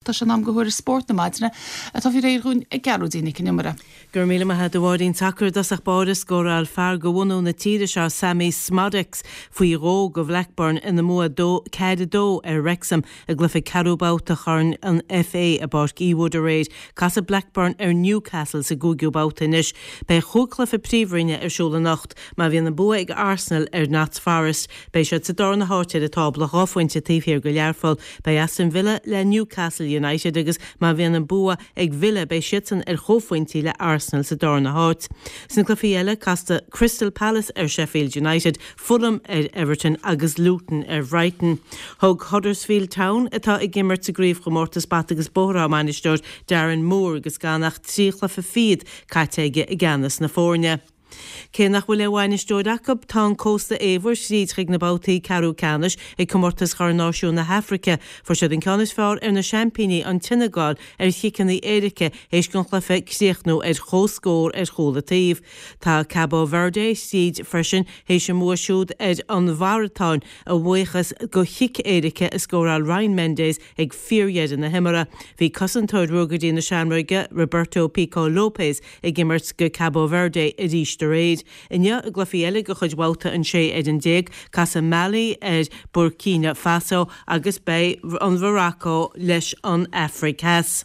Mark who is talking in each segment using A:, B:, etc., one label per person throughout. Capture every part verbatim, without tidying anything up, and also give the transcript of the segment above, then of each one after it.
A: Tá sé in am do thuairisc spóirt na maidine atá faoi réir dhúinn ag Gearóidín Nic an Iomaire.
B: Go raibh míle maith agat a Mháirín. Sacar i dtosach báire scóráil fear de bhunadh na tíre seo Sammy Szmodics faoi dhó do Bhlackburn ina mbua dó ceathair a dó ar Wrexham i gcluiche ceathrú babhta Chorn an FA i bPáirc Ewood aréir. Casfaidh Blackburn ar Newcastle sa gcúigiú babhta anois. Beidh chúig chluiche príomhroinne ar siúl anocht. Má bhíonn an bua ag Arsenal ar Notts Forest beidh siad sa darna háit ar an tábla dhá phointe taobh thiar de Learpholl. Beidh Aston Villa le Newcastle United agus má bhíonn an bua ag Villa beidh siadsan ar chomhphointí le Arsenal sa darna háit. Sna cluichí eile casfaidh Crystal Palace ar Sheffield United, Fulham ar Everton agus Luton ar Brighton. Thug Huddersfield Town atá ag imirt sa gcraobhchomórtas bata agus bóthar á mbainisteoir Darren Moore agus gan ach trí chluiche fichead caite aige i gceannas na foirne. Cé nach bhfuil aon bhainisteoir acu, tá an Cósta Eabhair tríd chuig na babhtaí ceathrú ceannais ag comórtas Chorn Náisiún na hAfraice. Fuair siad an ceann is fearr ar na seaimpíní an tSeineagáil ar chiceanna éirice théis don chluiche críochnú ar chomhscór ar chúl an taobh. Tá Cabo Verde tríd freisin théis a mbua siúd ar an Mháratáin a bhuíochas do chic éirice a scóráil Ryan Mendes ag fíordheireadh na himeartha. Bhí cosantóir Ruagairí na Seamróige Roberto Pico Lopes ag imirt do Cabo Verde arís aréir. Inniu i gcluichí eile de chuid bhabhta an sé ar an déag, casfaidh Mali ar Burkina Faso agus beidh an Mhorocco leis an Afraic Theas.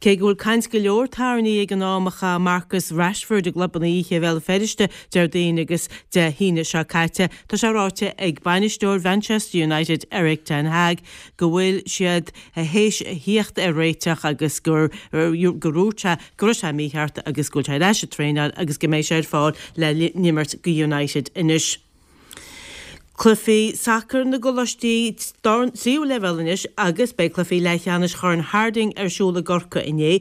B: Cé go bhfuil caint go leor tarraingthe ag an am a chaith Marcus Rashford i gclubanna oíche Bhéal Feirste Déardaoin agus Dé hAoine seo caite, tá sé ráite ag bainisteoir Manchester United Erik ten Hag go bhfuil siad théis a thíocht ar réiteach agus gur gur dhúirt sé go raibh sé mícheart agus go bhfuil sé ar ais ag traenáil agus go mbeidh sé ar fáil le n-imirt do United anois. Cluichí sacair na gcoláistí tríú leibhéal anois agus beidh cluichí leathcheannais Chorn Harding ar siúl i gCorcaigh inné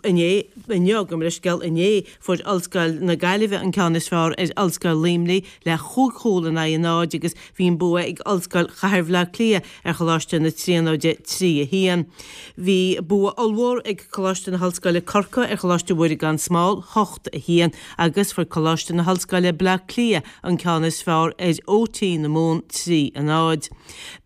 B: inné inniu gabh mo leithscéal inné fuair Ollscoil na Gaillimhe an ceann is fearr ar Ollscoil Luimnigh le chúig chúl in aghaidh a náid agus bhí an bua ag Ollscoil Chathair Bhaile Átha Cliath ar Choláiste na Tríonóide trí a haon. Bhí bua ollmhór ag Coláiste na hOllscoile Corcaigh ar Choláiste Mhuire gan Smál hocht a haon agus fuair Coláiste na hOllscoile Baile Átha Cliath an ceann is fearr ar OT na Mumhan trí a náid.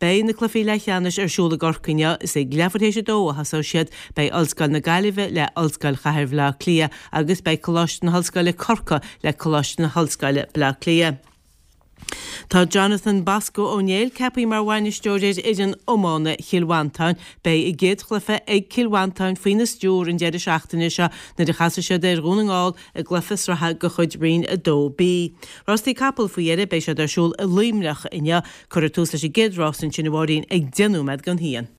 B: Beidh na cluichí leathcheannais ar siúl i gCorcaigh inniu is ag leathuair théis a dó a thosóidh siad. Beidh Ollscoil na Gaillimhe le Ollscoil Chathair Bhaile Átha Cliath agus beidh Coláiste na hOllscoile Corcaigh le Coláiste na hOllscoile Baile Átha Cliath. Tá Jonathan Bosco Ó Néill ceaptha mar bhainisteoir ar fhoireann iomána Chill Mhantáin. Beidh a gcéad chluiche ag Cill Mhantáin faoina stiúir an deireadh seachtaine seo nuair a chasfaidh siad ar Dhún na nGall i gcluiche sraithe de chuid Roinn a dó B. Rástaí capall faoi dheireadh, beidh siad ar siúl i Luimneach inniu. Cuirfear tús leis an gcéad rás ansin a Mháirín ag deich nóiméad don haon.